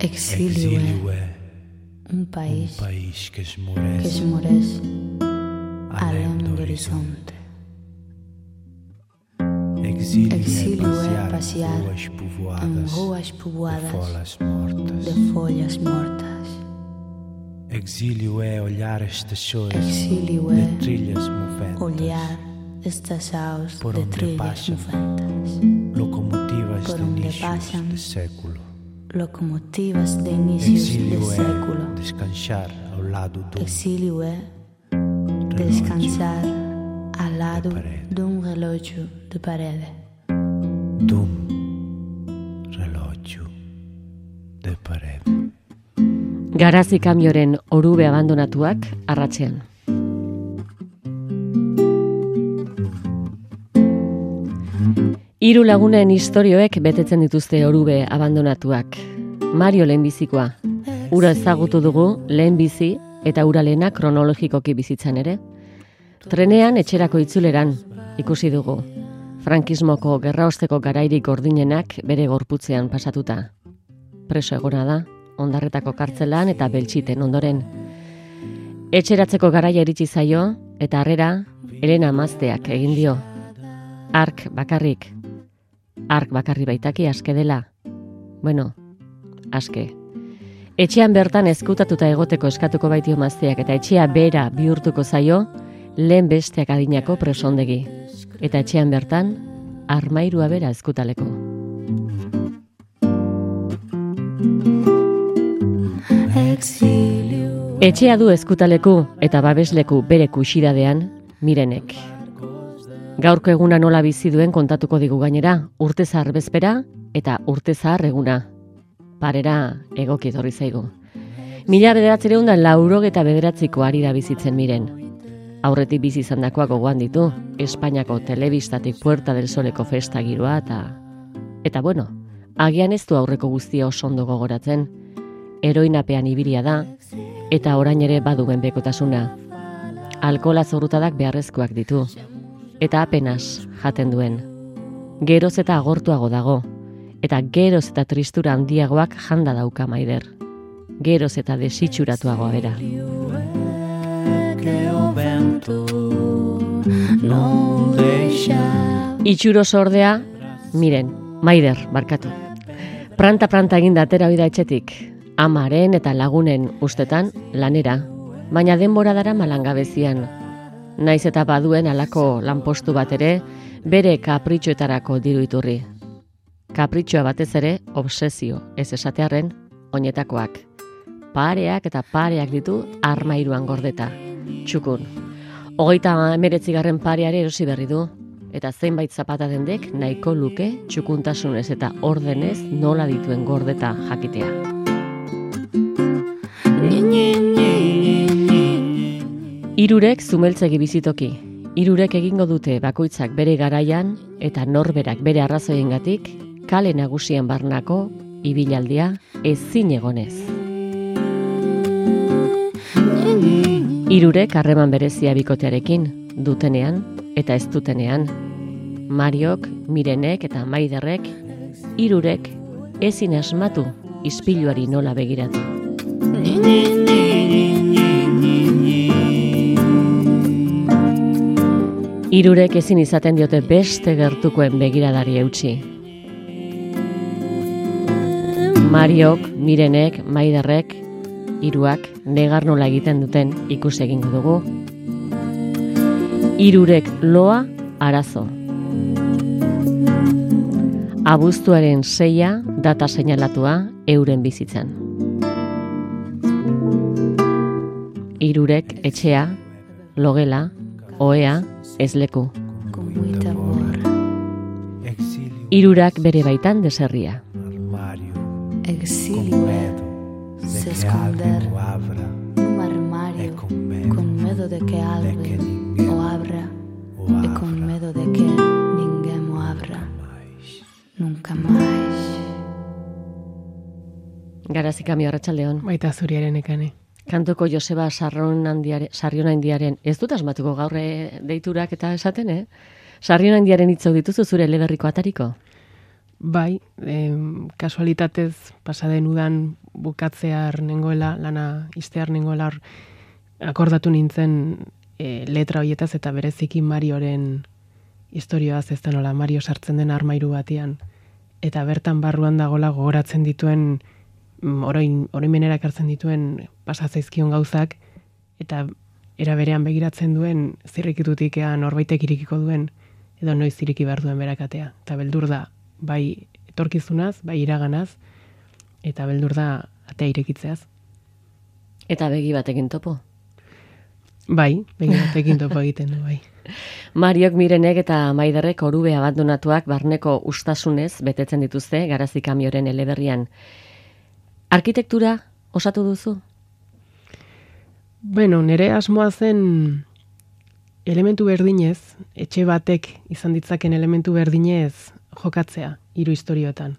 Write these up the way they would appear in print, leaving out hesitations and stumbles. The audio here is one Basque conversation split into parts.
Exilio è un país que esmorece além do horizonte. Exilio é passear em ruas povoadas de folhas mortas. Exílio é olhar estações Exilio de é trilhas moventas, olhar estações por de onde trilhas passam moventas, locomotivas por de onde inícios passam de século. locomotivas de inícios Exílio de é século. descansar ao lado do Exilio é descansar ao lado de um relógio de parede. relógio de parede. Garazi kamioren orube abandonatuak arratsean. Hiru lagunen istorioek betetzen dituzte orube abandonatuak. Mario lehenbizikoa. Ura ezagutu dugu lehenbizi eta ura lehena kronologikoki bizitzan ere. Trenean etxerako itzuleran ikusi dugu. Frankismoko gerraosteko garairik gordinenak bere gorputzean pasatuta. Preso egona da, Ondarretako kartzelan eta Beltxiten ondoren. Etxeratzeko garaia iritsi zaio eta harrera Elena Amazteak egin dio. Ark bakarri baitaki aske dela. Bueno, aske. Etxean bertan ezkutatuta egoteko eskatuko baitio Amazteak eta etxea bera bihurtuko zaio lehen besteak adinako presondegi. Eta etxean bertan armairua bera ezkutaleko. Etxea du ezkutaleku eta babesleku bere kuxidadean Mirenek. Gaurko eguna nola bizi duen kontatuko digu gainera, urtezar bezpera eta urtezar eguna. Parera egoki etorri zaigu. 1989ko ari da bizitzen Miren. Aurretik bizi izandakoak gogoan ditu, Espainiako telebistatik Puerta del Soleko festa giroa eta bueno, agian ez du aurreko guztia oso ondo gogoratzen. Heroinapean ibilia da eta orain ere baduen bekotasuna. Alkohola zorrutadak beharrezkoak ditu eta apenas jaten duen. Geroz eta agortuago dago eta geroz eta tristura handiagoak janda dauka Maider. Geroz eta desitxuratuagoa bera. Itxuro sordea, Miren, Maider, barkatu. Pranta eginda atera oida etxetik, amaren eta lagunen ustetan lanera, baina denbora dara malangabezian. Naiz eta baduen halako lanpostu bat ere, bere kapritxoetarako diru iturri. Kapritxoa batez ere, obsesio, ez esatearren, oinetakoak. Pareak eta pareak ditu armairuan gordeta. Txukun. 39. pareare erosi berri du, eta zenbait zapata dendek nahiko luke txukuntasunez eta ordenez nola dituen gordeta jakitea. Hirurek zumeltzegi bizitoki. Hirurek egingo dute bakoitzak bere garaian eta norberak bere arrazoiengatik kale nagusian barnako ibilaldia ezin egonez. Hirurek harreman berezia bikotearekin, dutenean eta ez dutenean. Mariok, Mirenek eta Maiderrek, hirurek ezin asmatu ispiluari nola begiratu. Hirurek ezin izaten diote beste gertukoen begiradari eutsi. Mariok, Mirenek, Maiderrek, hiruak negar nola egiten duten ikus egingo dugu. Hirurek loa arazo. Abuztuaren 6 data seinalatua euren bizitzan. Hirurek etxea, logela, ohea, ezleku. Hirurak bere baitan deserria. Exilio se esconder num armário con medo de que alguien o abra e con medo de que ninguém o abra nunca mais. Garazi kamio, arratsaldeon. Baita zuriaren ekane. Kantuko Joseba Sarrionaindiaren, ez dut asmatuko gaur deiturak eta esaten, Sarrionaindiaren hitzok dituzu zure eleberriko atariko? Bai, kasualitatez pasaden udan bukatzear nengoela, lana iztear nengoela hor akordatu nintzen letra hoietaz eta bereziki Marioren historioaz, ez da nola Mario sartzen den armairu batean eta bertan barruan dagola gogoratzen dituen oroimenera ekartzen dituen pasazaizkion gauzak eta era berean begiratzen duen zirrikitutik norbaitek irikiko duen edo noiz iriki behar duen berakatea. Eta beldur da bai etorkizunaz, bai iraganaz, eta beldur da atea irekitzeaz. Eta begi batekin topo. Bai, begi batekin topo egiten du, bai. Mariok, Mirenek eta Maiderrek Orube abandonatuak barneko ustasunez betetzen dituzte Garazi kamioren eleberrian. Arkitektura osatu duzu? Bueno, nire asmoa zen elementu berdinez, etxe batek izan ditzaken elementu berdinez jokatzea, 3 istorioetan.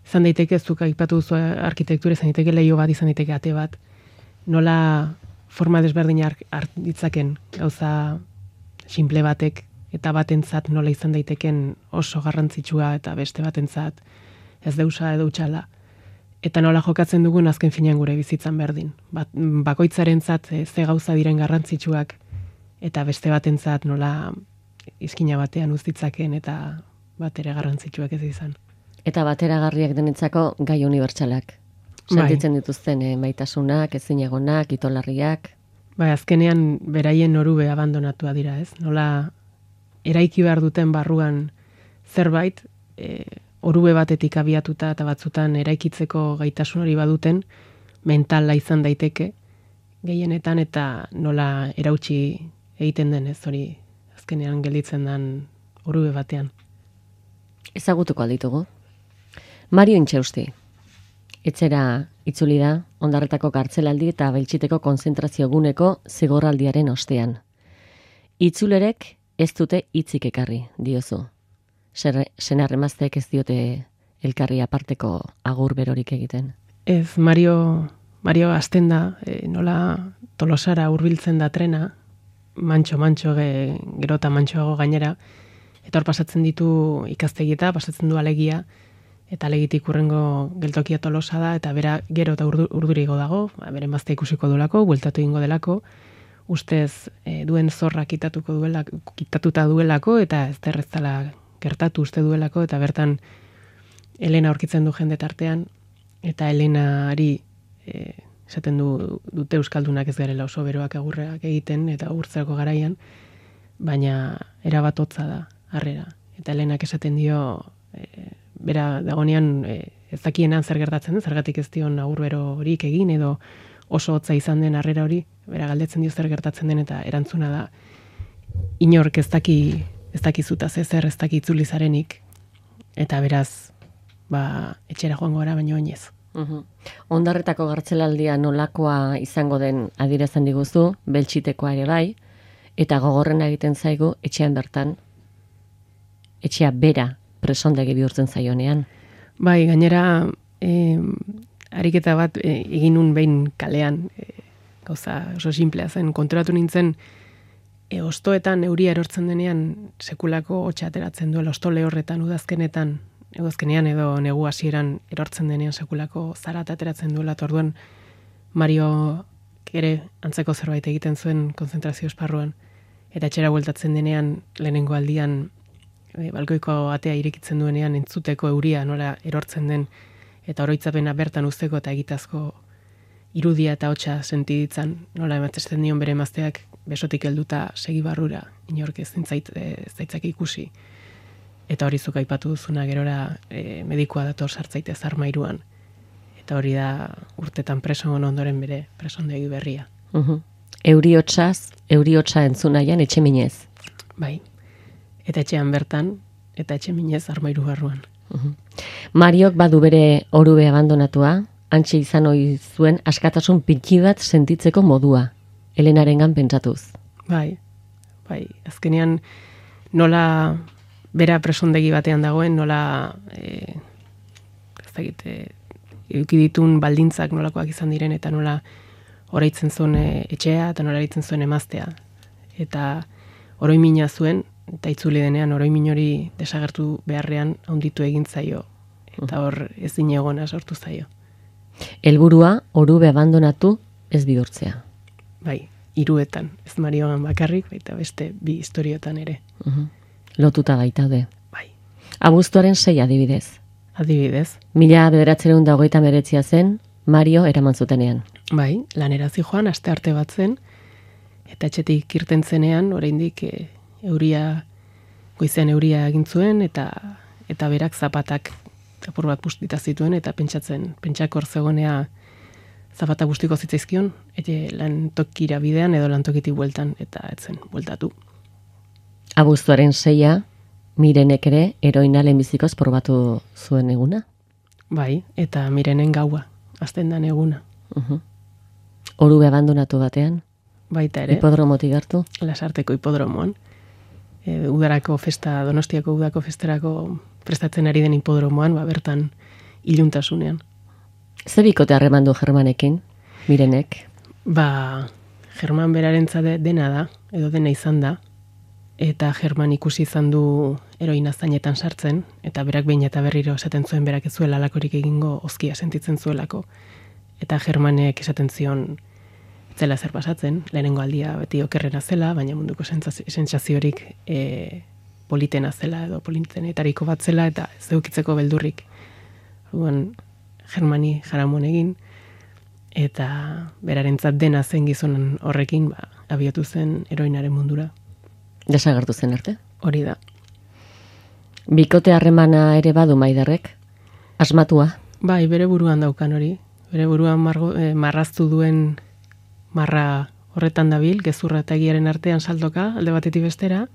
Izan daiteke, zuk aipatu duzu arkitektura, izan daiteke leiho bat, izan daiteke ate bat, nola forma desberdina ditzaken gauza simple batek, eta batentzat nola izan daiteken oso garrantzitsua eta beste batentzat ez deusa edo utxala. Eta nola jokatzen dugun azken finean gure bizitzan berdin. Bakoitzarentzat ze gauza diren garrantzitsuak eta beste batentzat nola izkina batean uztitzaken eta batere garrantzitsuak ez izan. Eta bateragarriak denetzako gai unibertsalak. Sentitzen dituzten maitasunak, ezinegonak, itolarriak. Bai, azkenean beraien Orube abandonatua dira, ez? Nola eraiki behar duten barruan zerbait, Orube batetik abiatuta eta batzutan eraikitzeko gaitasun hori baduten, mentala izan daiteke gehienetan eta nola erautsi egiten den, ez hori azkenean gelditzen den Orube batean. Ezagutuko alditugu. Mario Intxausti. Etxera itzuli da, Ondarretako kartzelaldi eta Beltziteko konzentrazio guneko zigorraldiaren ostean. Itzulerek ez dute hitzik ekarri, diozu. Senar-emazteek ez diote elkarri aparteko agur berorik egiten. Ez, Mario hasten da, nola Tolosara hurbiltzen da trena, mantxo gero eta mantxoago gainera, eta hor pasatzen ditu ikastegieta, pasatzen du alegia, eta alegitik urrengo geltokia Tolosa da, eta bera gero eta urdurigo dago, bere emazte ikusiko duelako, bueltatu egingo delako, ustez duen zorra kitatuta duelako, eta ez derreztala gertatu uste duelako, eta bertan Elena aurkitzen du jende tartean, eta Elenari esaten dute euskaldunak ez garela oso beroak agurreak egiten, eta agurtzerako garaian, baina erabat hotza da, harrera. Eta Elenak esaten dio, bera dagonean ez dakienan zer gertatzen den, zergatik ez dion agur berorik egin, edo oso hotza izan den harrera hori, bera galdetzen dio zer gertatzen den, eta erantzuna da, inork ez dakizutaz ezer, ez daki itzulizarenik, eta beraz, etxera joango gara, baino oinez. Ondarretako gartzelaldia nolakoa izango den adierazten diguzu, Beltzitekoa ere bai, eta gogorrena egiten zaigu etxean bertan, etxea bera presondegi bihurtzen zaionean. Bai, gainera, ariketa bat eginun behin kalean, gauza oso simplea zen, konturatu nintzen, ostoetan euria erortzen denean sekulako hotxa ateratzen duela, osto lehorretan, udazkenean edo negu hasieran erortzen denean sekulako zarata ateratzen duela, eta orduan Mario ere antzeko zerbait egiten zuen konzentrazio esparruan, eta etxera bueltatzen denean lehenengo aldian balkoiko atea irekitzen duenean entzuteko euria nola erortzen den, eta oroitzapena bertan uzteko eta egitazko irudia eta hotxa sentiditzan, nola ematesten dion bere emazteak besotik helduta segi barrura, inork ez zaitzak ikusi. Eta hori zuk aipatu duzuna gerora medikua dator sartzaitez armairuan. Eta hori da urtetan preso ondoren bere presondegi berria. Euriotsa entzunaian etxe minez. Bai, eta etxean bertan, eta etxe minez armairu barruan. Mariok badu bere Orube abandonatua, antxe izan ohi zuen askatasun pintxi bat sentitzeko modua, Elenarengan pentsatuz. Bai, azkenean nola bera presondegi batean dagoen, nola eduki ditun baldintzak nolakoak izan diren, eta nola oraitzen zuen etxea, eta nola oraitzen zuen emaztea. Eta oroimina zuen, eta itzuli denean oroimin hori desagertu beharrean handitu egin zaio, eta hor ezin egona sortu zaio. Helburua orube abandonatu ez bihurtzea. Bai, 3, ez Mariogan bakarrik, baita beste 2 istoriotan ere. Lotuta baitaude. Bai. Abuztuaren 6 adibidez. Adibidez. 1939 zen, Mario eraman zutenean. Bai, lanera zijoan, aste arte bat zen, eta etxetik irten zenean, oraindik goizean euria egin zuen, eta berak zapatak apur bat bustita zituen, eta pentsako hor zegoenea zapata bustiko zitzaizkion, lantokira bidean edo lantokitik bueltan, eta etzen bueltatu. Abuztuaren 6 Mirenek ere heroina lehenbizikoz probatu zuen eguna? Bai, eta Mirenen gaua, azten dan eguna. Orube abandonatu batean? Baita ere. Hipodromotik hartu? Lasarteko hipodromoan. Udarako festa, Donostiako udako festerako prestatzen ari den hipodromoan, bertan iluntasunean. Ze bikote harreman du Germanekin, Mirenek? German berarentzat dena da, edo dena izan da, eta German ikusi izan du heroina zainetan sartzen, eta berak behin eta berriro esaten zuen berak ez zuela alakorik egingo ozkia sentitzen zuelako. Eta Germanek esaten zion zela zer pasatzen, lehenengo aldia beti okerrena zela, baina munduko sentsaziorik politena zela edo politenetariko bat zela, eta ez eukitzeko beldurrik. Germani jaramon egin, eta berarentzat dena zen gizonan horrekin abiatu zen heroinaren mundura. Desagertu zen arte? Hori da. Bikote harremana ere badu Maiderrek? Asmatua? Bai, bere buruan daukan hori. Bere buruan marraztu duen marra horretan dabil, gezurra eta egiaren artean saltoka, alde batetik bestera,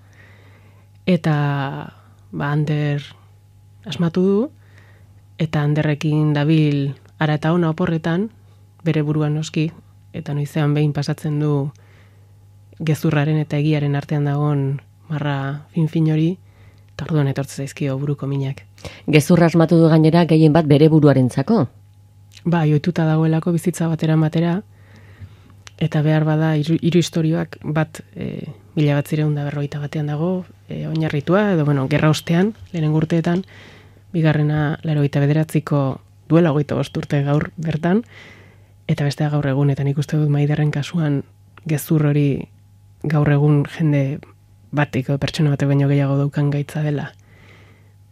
eta Ander asmatu du, eta Anderrekin dabil ara eta ona oporretan, bere buruan noski, eta noizean behin pasatzen du gezurraren eta egiaren artean dagoen marra fin hori, eta orduan etortze zaizkio buruko minak. Gezurra asmatu du gainera gehien bat bere buruarentzako? Ohituta dagoelako bizitza batera, eta behar bada hiru istorioak bat 1941 dago, oinarritua, edo gerra ostean, lehenengo urteetan, bigarrena 1989ko duela 25 urte gaur bertan, eta bestea gaur egun, eta nik uste dut Maiderren kasuan gezur hori gaur egun jende batik, pertsona batek baino gehiago daukan gaitza dela.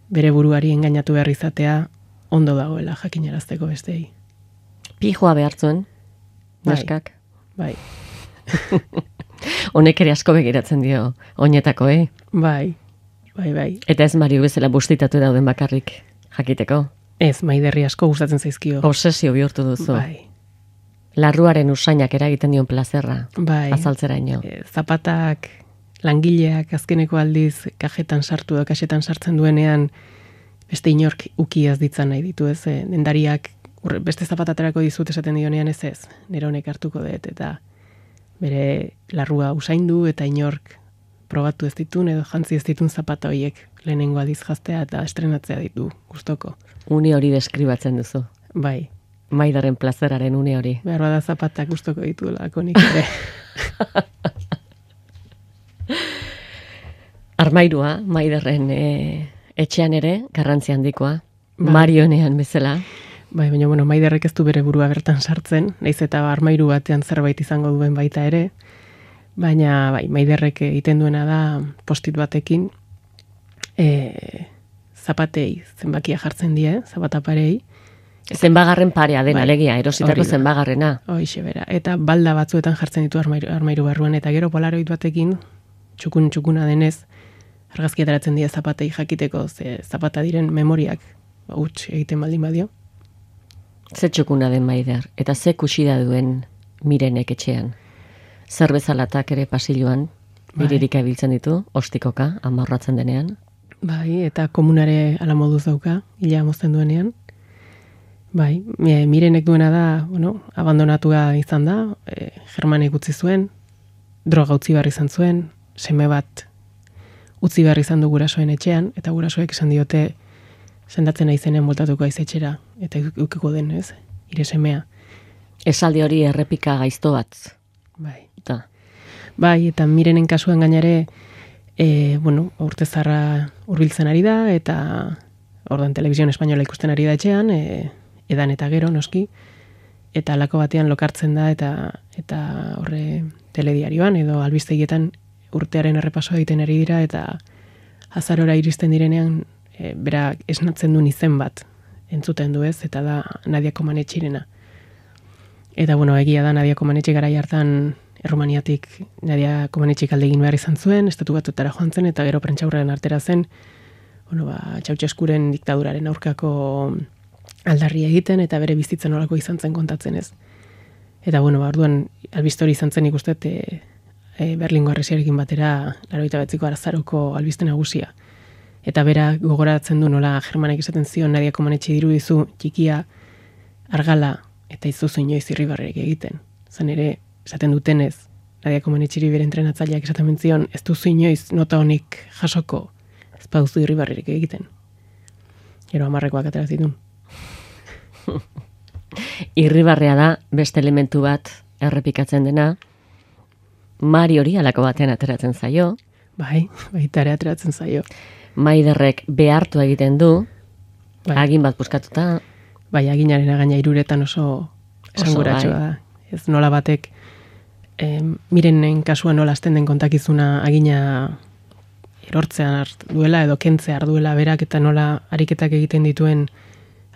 Bere buruari engainatu behar izatea ondo dagoela jakinarazteko besteei. Pijoa behar zuen, neskak? Bai. Honek ere asko begiratzen dio oinetako, Bai. Eta ez Mario bezala bustitatu dauden bakarrik jakiteko? Ez, Maiderri asko gustatzen zaizkio. Obsesio bihurtu duzu. Bai. Larruaren usainak eragiten dion plazerra. Bai. Azaltzeraino. Zapatak, langileak azkeneko aldiz kajetan sartu edo kaxetan sartzen duenean beste inork ukiaz ditzan nahi ditu, ez? Dendariak beste zapataterako dizut esaten dionean ez, nire honek hartuko dut, eta bere larrua usaindu eta inork probatu ez ditun edo jantzi ez ditun zapata horiek lehenengo aldiz jaztea eta estrenatzea ditu gustoko. Une hori deskribatzen duzu. Bai. Maiderren plazeraren une hori. Behar bada zapatak gustoko ditulako nik ere. Armairua, Maiderren etxean ere, garrantzi handikoa, Marionean bezala. Bai, baina Maiderrek ez du bere burua bertan sartzen, nahiz eta armairu batean zerbait izango duen baita ere, baina Maiderrek egiten duena da postit batekin zapatei zenbakia jartzen die, zapataparei. Zenbagarren parea den, alegia, erositako zenbagarrena. Hoixe bera, eta balda batzuetan jartzen ditu armairu barruan, eta gero polaroid batekin, txukuna denez, argazki ateratzen die zapatei jakiteko, ze zapata diren memoriak huts egiten baldin badio. Ze txukuna den Maider, eta ze kusida duen Mirenek etxean. Zer bezalatak ere pasilloan, biririk abiltzen ditu, ostikoka, amarratzen denean. Bai, eta komunare ala moduz dauka, hila mozten duenean. Bai, Mirenek duena da, abandonatua izan da, Germanek utzi zuen, droga utzi behar izan zuen, seme bat utzi behar izan du gurasoen etxean, eta gurasoek esan diote sendatzen naizenean voltatuko aiz etxera, eta ukiko den, ez, ire semea. Esaldi hori errepika gaizto bat. Bai. Da. Bai, eta Mirenen kasuan gainare Bueno, urte zarra hurbiltzen ari da, eta ordan Televisión Española ikusten ari da etxean, edan eta gero noski, eta alako batean lokartzen da, eta horre telediarioan edo albistegietan urtearen errepasoa egiten ari dira, eta azarora iristen direnean, bera esnatzen duen izen bat entzuten du ez, eta da Nadia Comaneciarena. Eta bueno, egia da Nadia Comaneci garai hartan Errumaniatik Nadia Comaneci aldegin behar izan zuen, estatu batuetara joan zen, eta gero prentsaurrean artera zen, bueno, Ceausescuren diktaduraren aurkako aldarria egiten, eta bere bizitzen olako izan zen kontatzen ez. Eta bueno, orduan albiste hori izan zen ikusten Berlingo Harresiarekin batera 89ko arazaroko albiste nagusia. Eta bera gogoratzen du nola Germanek esaten zion Nadia Comaneci dirudizu txikia, argala eta izuzu inoiz irribarrerik egiten. Zan ere, esaten dutenez, Nadia Comaneciri bere entrenatzaileak esaten zion, ez duzu inoiz nota honik jasoko, ez pauzu irribarrerik egiten. Gero 10ekoak atera zitun. Irribarrea da beste elementu bat errepikatzen dena, Mariori halako batean ateratzen zaio. Bai, baita ere ateratzen zaio. Maiderrek behartu egiten du, agin bat puskatuta. Bai, aginaren gaina hiruretan oso esanguratsua da. Ez nola batek, Mirenen kasuan nola azten den kontakizuna agina erortzean duela edo kentzea duela berak, eta nola ariketak egiten dituen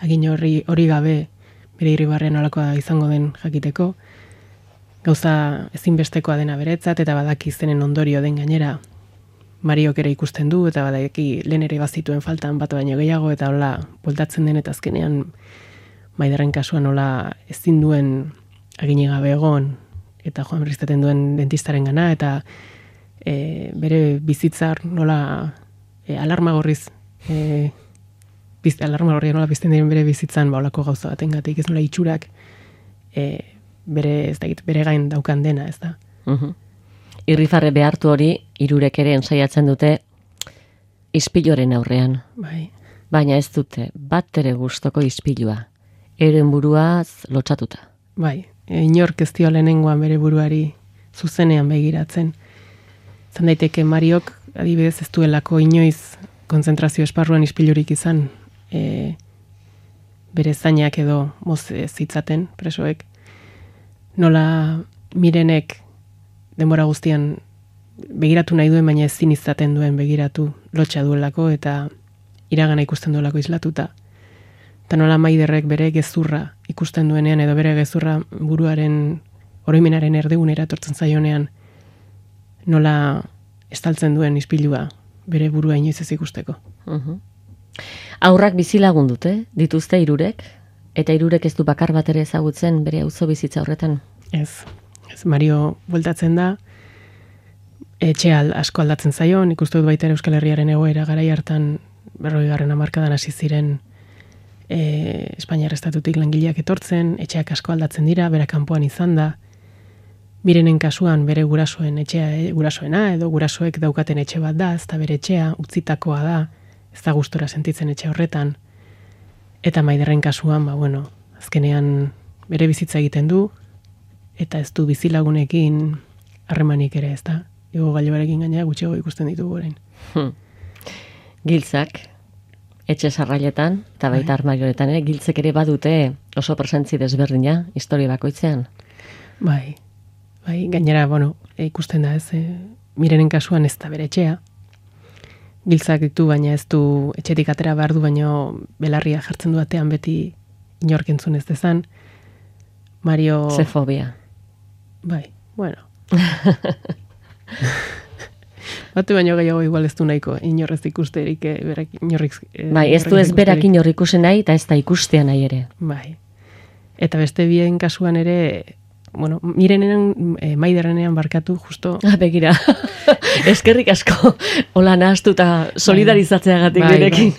agin hori gabe bere irribarrean nolakoa izango den jakiteko. Gauza ezinbestekoa dena beretzat, eta badaki zenen ondorio den gainera Mariok ere ikusten du, eta badaki lehen ere bazituen faltan bat baino gehiago, eta hola bueltatzen den, eta azkenean Maiderren kasuan nola ezin duen agini gabe egon, eta joan berriztaten duen dentistaren gana, eta bere bizitzar nola alarma gorriz, alarma gorria nola bizten diren bere bizitzan, olako gauza batengatik, ez nola itxurak bere gain daukan dena, ez da. Irrifarre behartu hori, hirurek ere ensaiatzen dute ispiloren aurrean. Bai. Baina ez dute bat ere gustoko ispilua. Euren buruaz lotsatuta. Bai, inork ez dio lehenengoan bere buruari zuzenean begiratzen. Zan daiteke Mariok, adibidez ez duelako inoiz konzentrazio esparruan ispilurik izan, bere zainak edo moz zitzaten presoek. Nola Mirenek denbora guztian begiratu nahi duen, baina ezin izaten duen begiratu lotxa duelako, eta iragana ikusten duelako islatuta. Eta nola Maiderrek bere gezurra ikusten duenean, edo bere gezurra buruaren oroimenaren erdigunera etortzen zaionean, nola estaltzen duen ispilua bere burua inoiz ez ikusteko. Aurrak bizilagun dute, dituzte hirurek, eta hirurek ez du bakar bat ere ezagutzen bere auzo bizitza horretan. Ez, Mario bueltatzen da, etxea asko aldatzen zaion, ikustu dut baita ere Euskal Herriaren egoera garai hartan 40. hamarkadan hasi ziren Espainiar estatutik langileak etortzen, etxeak asko aldatzen dira, bera kanpoan izan da, Mirenen kasuan bere gurasoen etxea, gurasoena edo gurasoek daukaten etxe bat da, ez da bere etxea, utzitakoa da, ez da gustora sentitzen etxe horretan, eta Maiderren kasuan, azkenean bere bizitza egiten du, eta ez du bizilagunekin harremanik ere, ez da, ego gailuarekin gaina gutxiago ikusten ditugu orain. Giltzak, etxe sarrailetan, eta baita armarioetan ere, giltzek ere badute oso presentzi desberdina, historia bakoitzean. Bai, gainera, ikusten da ez, Mirenen kasuan ez da bere etxea. Giltzak ditu, baina ez du etxetik atera behar du, baina belarria jartzen du atean beti inork entzun ez dezan. Mario... Zefobia. Bai, Batu baino gehiago igual ez du nahiko, inorrez ikusterik, berak inorrik... Bai, ez du ez berak inor ikusen nahi, eta ez da ikustea nahi ere. Bai. Eta beste bien kasuan ere, Mirenean, Maiderrenean barkatu, justo... Begira, eskerrik asko, hola nahaztu eta solidarizatzeagatik direkin.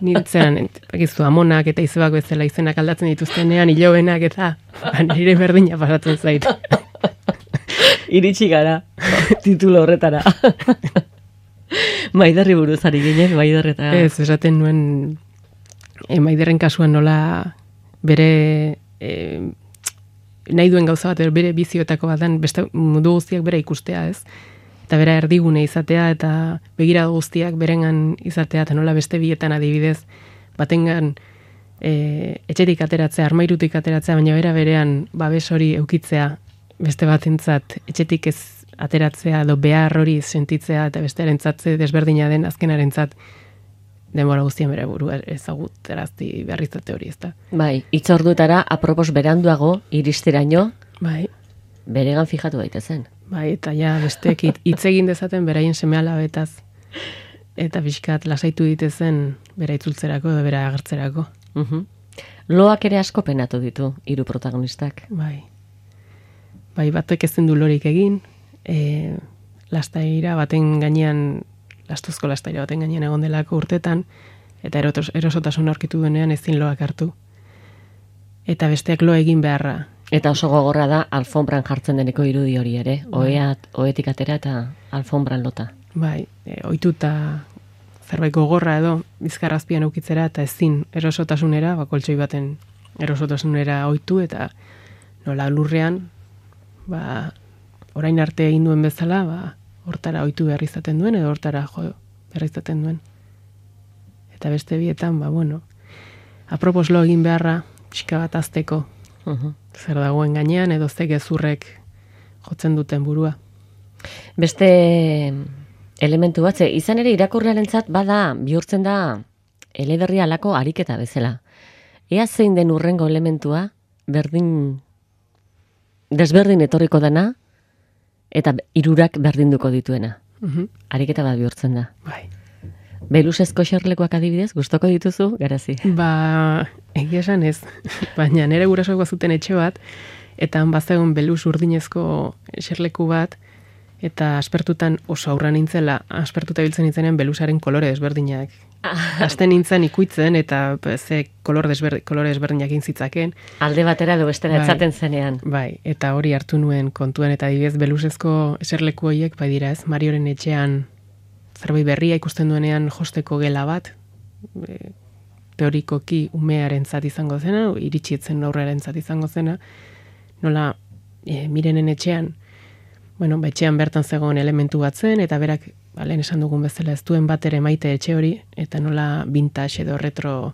Nintzean, bakizu, amonak eta izebak bezala izenak aldatzen dituztenean, hilobenak eta nire berdina pasatzen zait. Iritsi gara, titulo horretara. Maiderri buruz ari ginen, Maiderreta. Ez, esaten nuen, Maiderren kasuan nola bere nahi duen gauza bat, bere bizioetako bat den, beste mundu guztiak bere ikustea, ez? eta bera erdigune izatea, eta begirada guztiak berengan izatea, eta nola beste bietan adibidez, batengan etxetik ateratzea, armairutik ateratzea, baina berean babes hori eukitzea, beste batentzat etxetik ez ateratzea, edo behar hori sentitzea, eta bestearentzat desberdina den azkenarentzat, denbora guztian bere burua ezagutarazti behar izate hori, ezta. Bai, hitzorduetara apropos beranduago iristeraino, Bai, beregan fijatu daitezen. bai, eta ja besteek hitz egin dezaten beraien seme-alabetaz, eta pixkat lasaitu ditezen bera itzultzerako edo bera agertzerako. Loak ere asko penatu ditu hiru protagonistak. Bai. Bai, batek ezin du lorik egin, lastaira baten gainean, lastuzko lastaira baten gainean egon delako urtetan, eta erosotasun aurkitu denean ezin loak hartu. Eta besteak lo egin beharra. Eta oso gogorra da alfombran jartzen deneko irudi hori ere, ohetik atera eta alfombran lota. Bai, ohituta zerbait gogorra edo bizkarrazpian eukitzera eta ezin erosotasunera, koltxoi baten erosotasunera ohitu eta nola lurrean, orain arte egin duen bezala, hortara ohitu behar izaten duen edo hortara jo behar izaten duen. Eta beste bietan, apropos lo egin beharra, pixka bat azteko, zer dagoen gainean edo ze gezurrek jotzen duten burua. Beste elementu bat, izan ere irakurlearentzat bada, bihurtzen da eleberria alako ariketa bezala. Ea zein den urrengo elementua, desberdin etorriko dena, eta hirurak berdinduko dituena. Ariketa bat bihurtzen da. Bai. Belusezko xerlekuak adibidez, gustoko dituzu, Garazi? Egia esan ez, baina nire gurasoak bazuten etxe bat, eta han bazegon belus urdinezko xerleku bat, eta aspertutan oso aurra nintzela, aspertuta biltzen nintzenean belusaren kolore desberdinak. Hasten nintzen ikuitzen, eta kolore desberdinak intzitzaken. Alde batera edo bestera etzaten zenean. Bai, eta hori hartu nuen kontuan, eta adibidez belusezko xerleku horiek, bai dira ez, Marioren etxean zerbait berria ikusten duenean josteko gela bat, teorikoki umearentzat izango zena, iritsietzen aurrearentzat izango zena, nola Mirenen etxean, etxean bertan zegoen elementu bat zen, eta berak, lehen esan dugun bezala, ez duen bat ere maite etxe hori, eta nola vintage edo retro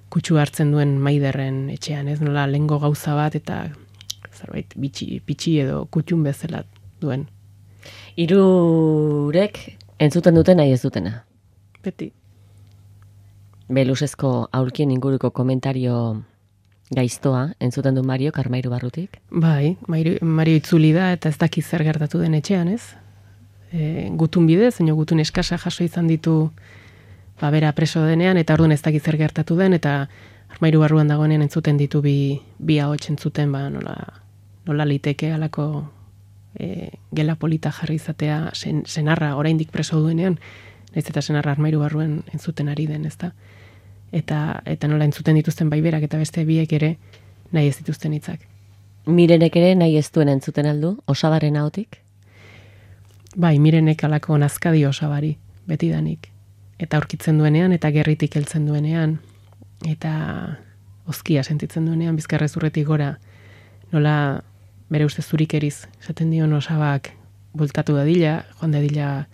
kutsu hartzen duen Maiderren etxean, ez nola lengo gauza bat, eta zerbait pitxi edo kutxun bezala duen. Hirurek entzuten duten nahi ez dutena. Beti. Belusezko aulkien inguruko komentario gaiztoa entzuten du Mario Karmairu barrutik? Bai, Mario itzuli da eta ez daki zer gertatu den etxean, ez? Gutun bidez, gutun eskasa jaso izan ditu bera preso denean, eta orduan ez daki zer gertatu den, eta Armairu barruan dagoenean entzuten ditu bi ahots entzuten, nola liteke alako gela polita jarri izatea senarra oraindik preso duenean, naiz eta senarra Armairu barruan entzuten ari den, ezta? Eta nola entzuten dituzten berak eta beste biek ere nahi ez dituzten hitzak. Mirenek ere nahi ez duen entzuten aldu, Osabaren ahotik? Bai, Mirenek alako nazkadi Osabari, betidanik. Eta aurkitzen duenean, eta gerritik heltzen duenean, eta oskia sentitzen duenean, bizkarrezurretik gora, nola bere uste zurikeriz, esaten dion Osabak bultatu dadila, joan dadila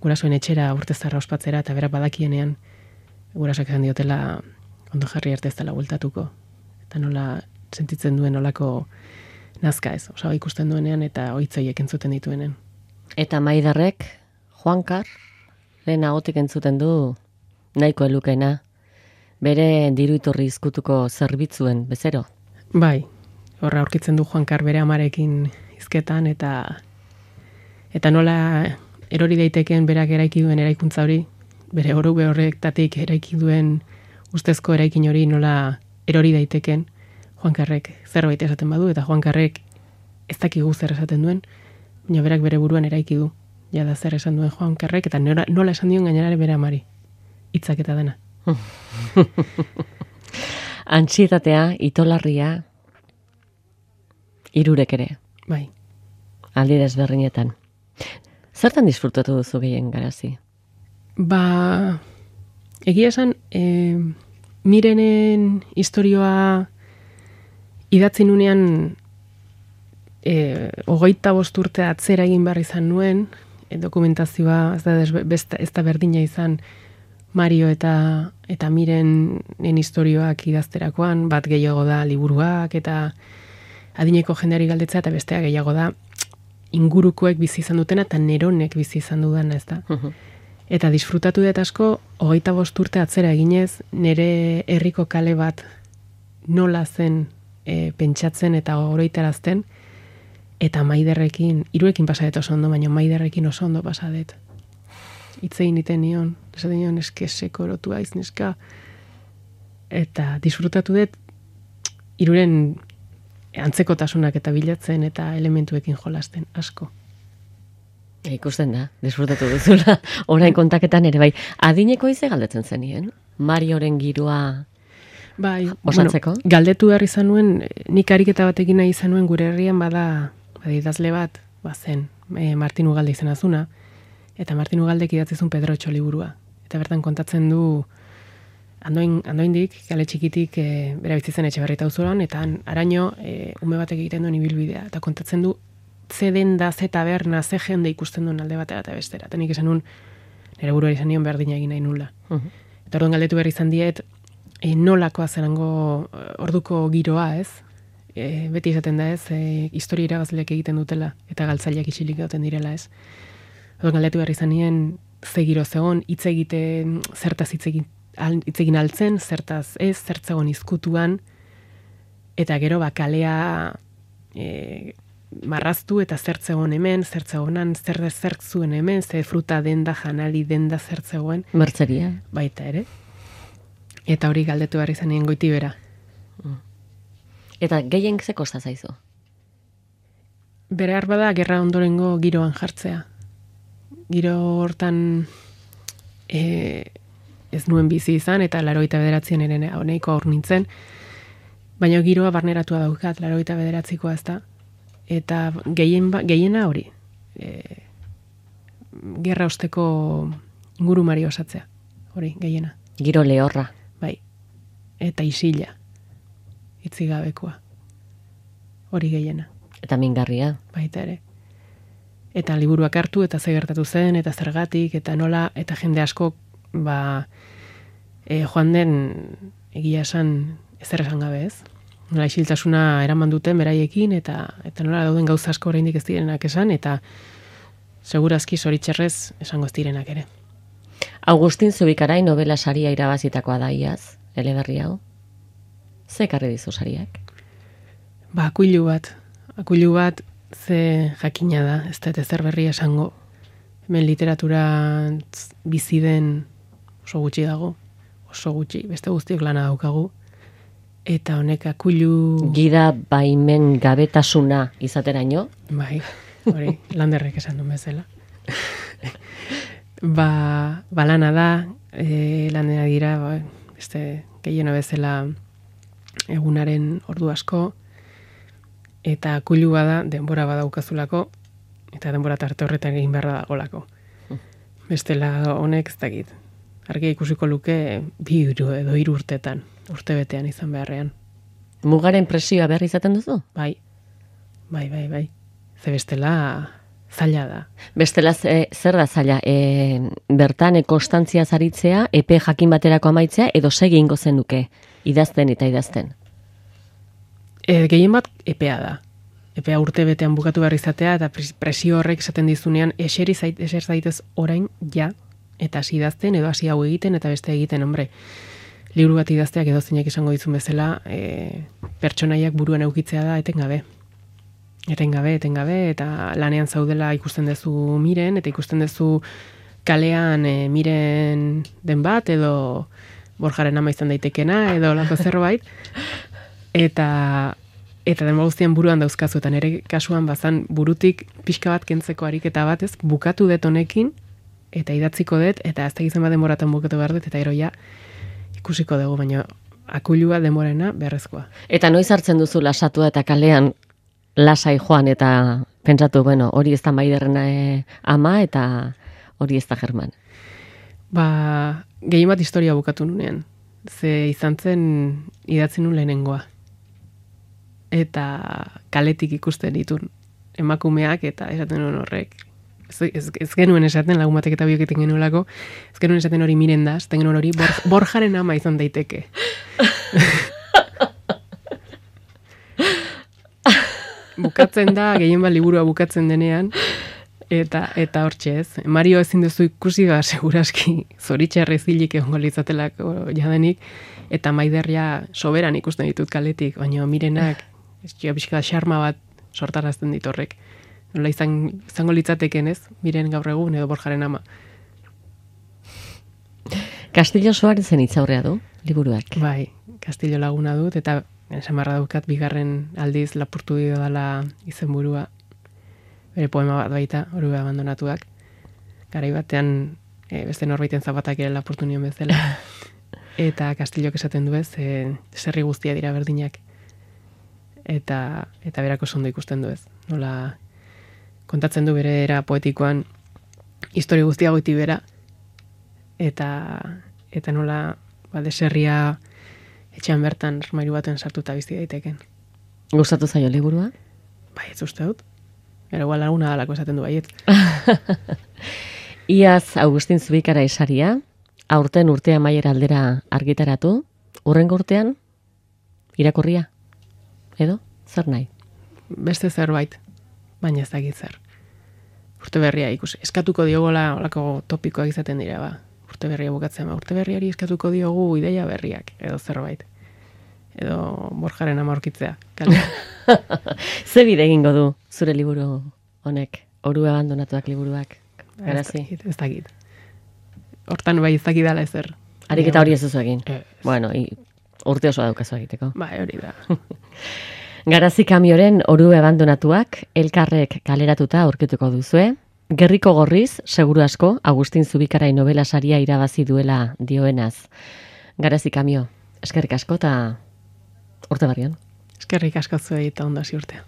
gurasoen etxera urtezarra ospatzera, eta berak badakienean, gurasoak esan diotela ondo jarri arte ez dela bultatuko. Eta nola sentitzen duen olako nazka ez, Osaba ikusten duenean, eta oitzoiek entzuten dituenen. Eta Maiderrek, Juankar, lehen ahotik entzuten du nahiko elukena, bere diru iturri izkutuko zerbitzuen bezero? Bai, horra aurkitzen du Juankar bere amarekin hizketan, eta nola erori daiteken berak eraiki duen eraikuntza hori, bere orube horrektatik eraiki duen ustezko eraikin hori nola erori daiteken Juankarrek zerbait esaten badu, eta Juankarrek ez dakigu zer esaten duen, baina berak bere buruan eraiki du, jada zer esan duen Juankarrek, eta nola esan dion gainerare bere amari, hitzak eta dena. Antsietatea, itolarria, hirurek ere. Bai. Aldi desberdinetan. Zertan disfrutatu duzu gehien, Garazi? Egia esan, Mirenen istorioa idatzi nunean 25 urte atzera egin behar izan nuen, dokumentazioa ez da berdina izan Mario eta Mirenen istorioak idazterakoan, bat gehiago da liburuak eta adineko jendeari galdetzea, eta bestea gehiago da ingurukoek bizi izan dutena eta neronek bizi izan dudana, ez da. Eta disfrutatu dut asko, 25 urte atzera eginez, nire herriko kale bat nola zen pentsatzen eta oroitarazten, eta Maiderrekin, hiruekin pasadet oso ondo, baina Maiderrekin oso ondo pasadet. Itzein iten nion, esaten nion eskeseko erotu aiz neska, eta disfrutatu dut hiruren antzekotasunak eta bilatzen eta elementuekin jolasten asko. Ikusten da, disfrutatu duzula, orain kontaketan ere bai. Adineko ize galdetzen zenien? Marioren giroa bai, osatzeko? Bueno, galdetu behar izan nuen, nik ariketa batekin nahi izan nuen gure herrian bada idazle bat, zen, Martin Ugalde izan azuna, eta Martin Ugaldek idatzizun Pedro Otxo liburua. Eta bertan kontatzen du, andoindik, kale txikitik, bera bizitzen Etxebarrieta auzoan, eta araño, ume batek egiten duen ibilbidea. Eta kontatzen du, ze denda, ze taberna, ze jende ikusten duen alde batera eta bestera. Eta nik esan nun, nire buruari izan nion berdina egin nahi nula. Eta orduan galdetu behar izan diet, nolakoa zelango orduko giroa, ez? Beti esaten da, ez? Historia irabazleak egiten dutela, eta galtzaileak isilik dauten direla, ez? Orduan galdetu behar izan nien, ze giro zegon, hitz egiten, zertaz hitz egin altzen, zertaz ez, zertzegon izkutuan, eta gero kalea marraztu eta zertzegon hemen, zertzegonan, zertzuen hemen, ze fruta denda, janari denda zertzegoen. Mertzeria. Baita ere. Eta hori galdetu behar izan nien Goitibera. Eta gehien ze kosta zaizu? Bere bada gerra ondorengo giroan jartzea. Giro hortan ez nuen bizi izan, eta 89 ere honeiko aur nintzen, baina giroa barneratua daukat, 89koa ez da, eta gehiena hori, gerra osteko ingurumari osatzea, hori, gehiena. Giro lehorra. Bai, eta isila, itzigabekoa, hori gehiena. Eta mingarria. Baita ere. Eta liburuak hartu, eta ze gertatu zen, eta zergatik, eta nola, eta jende asko, joan den egia esan ezer esan gabe, ez? Nola isiltasuna eraman duten beraiekin, eta nola dauden gauza asko oraindik ez direnak esan, eta segurazki zoritxerrez esango ez direnak ere. Agustin Zubikarai novela saria irabazitakoa da iaz, eleberri hau. Ze ekarri dizu sariak? Akuilu bat, ze jakina da, ez da ezer berria esango. Hemen literatura bizi den oso gutxi dago, oso gutxi, beste guztiok lana daukagu. Eta honek akuilu... Gida baimen gabetasuna izateraino? Bai, hori, Landerrek esan duen bezala. Lana da, lanera dira, beste gehiena bezala egunaren ordu asko, eta akuilu bada denbora badaukazulako, eta denbora tarte horretan egin beharra dagolako. Bestela honek ez dakit. Argi ikusiko luke 2 edo 3 urtetan, urtebetean izan beharrean. Mugaren presioa behar izaten duzu? Bai. Ze bestela zaila da. Bestela zer da zaila? Bertan konstantzia zaritzea, epe jakin baterako amaitzea, edo segi ingo zenuke, idazten eta idazten? Gehien bat epea da. Epea urtebetean bukatu behar izatea, eta presio horrek esaten dizunean, eser zaitez orain, ja, eta hasi idazten, edo hasi hau egiten, eta beste egiten, hombre. Liburu bat idazteak edo zeinak izango dizun bezala, pertsonaiak buruan eukitzea da, etengabe, eta lanean zaudela ikusten duzu Miren, eta ikusten duzu kalean Miren den bat, edo Borjaren ama izan daitekena, edo lako zerbait, eta denbora guztian buruan dauzkazu, eta nire kasuan bazan burutik pixka bat kentzeko ariketa batez, bukatu dut honekin, eta idatziko dut, eta ez tegizen bat denboratan bukatu behar dut, eta eroia ikusiko dugu, baina akuilua denborena beharrezkoa. Eta noiz hartzen duzu lasatua eta kalean lasai joan, eta pentsatu, bueno, hori ez da Maiderrena ama, eta hori ez da German. Gehien bat historia bukatu nunean. Ze izan zen idatzi nun lehenengoa. Eta kaletik ikusten ditun emakumeak, eta esaten nuen horrek ez genuen esaten, lagun batek eta biok egiten genuelako, ez genuen esaten hori Mirenda, esaten genuen hori Borjaren ama izan daiteke. Bukatzen da, gehien bat liburua bukatzen denean, eta hortxe ez. Mario ezin duzu ikusi seguraski zoritxarrez hilik egongo litzatelako jadenik, eta Maiderria soberan ikusten ditut kaletik, baina Mirenak, pixka xarma bat sortarazten dit horrek. Nola izango litzateken ez, Miren gaur egun edo Borjaren ama. Castillo Soarezen hitzaurrea du, liburuak. Bai, Castillo laguna dut, eta samarra daukat bigarren aldiz lapurtu dio dela izenburua. Bere poema bat baita, Orube abandonatuak. Garai batean beste norbaiten zapatak ere lapurtu nion bezala. Eta Castillok esaten du ez, zerri guztia dira berdinak. Eta berako sondo ikusten du ez. Nola kontatzen du bere era poetikoan historia guztia goiti bera. Eta nola deserria etxean bertan armairu baten sartuta bizi daiteken. Gustatu zaio liburua? Bai, ez uste dut. Era igual laguna dalako esaten du baiet. Iaz Agustin Zubikara esaria, aurten urtea amaiera aldera argitaratu, hurrengo urtean irakurria. Edo, zer nahi? Beste zerbait, baina ez dakit zer. Urte berria ikusi. Eskatuko diogola olako topikoak izaten dira, ba. Urte berria bukatzen, urte berriari eskatuko diogu ideia berriak, edo zerbait. Edo Borjaren ama aurkitzea. Ze bide egingo du zure liburu honek, Orube abandonatuak liburuak? Garazi? Ez dakit. Hortan bai ez dakidala ezer. Ariketa hori ez duzu egin? Bueno, urte osoa daukazu egiteko. Bai, hori da. Garazi Kamioren Orube abandonatuak elkarrek kaleratuta aurkituko duzue. Gerriko gorriz, seguru asko, Agustin Zubikarai novela saria irabazi duela dioenaz. Garazi Kamio, eskerrik asko eta urte barrian. Eskerrik asko zuei eta ondo hasi urtea.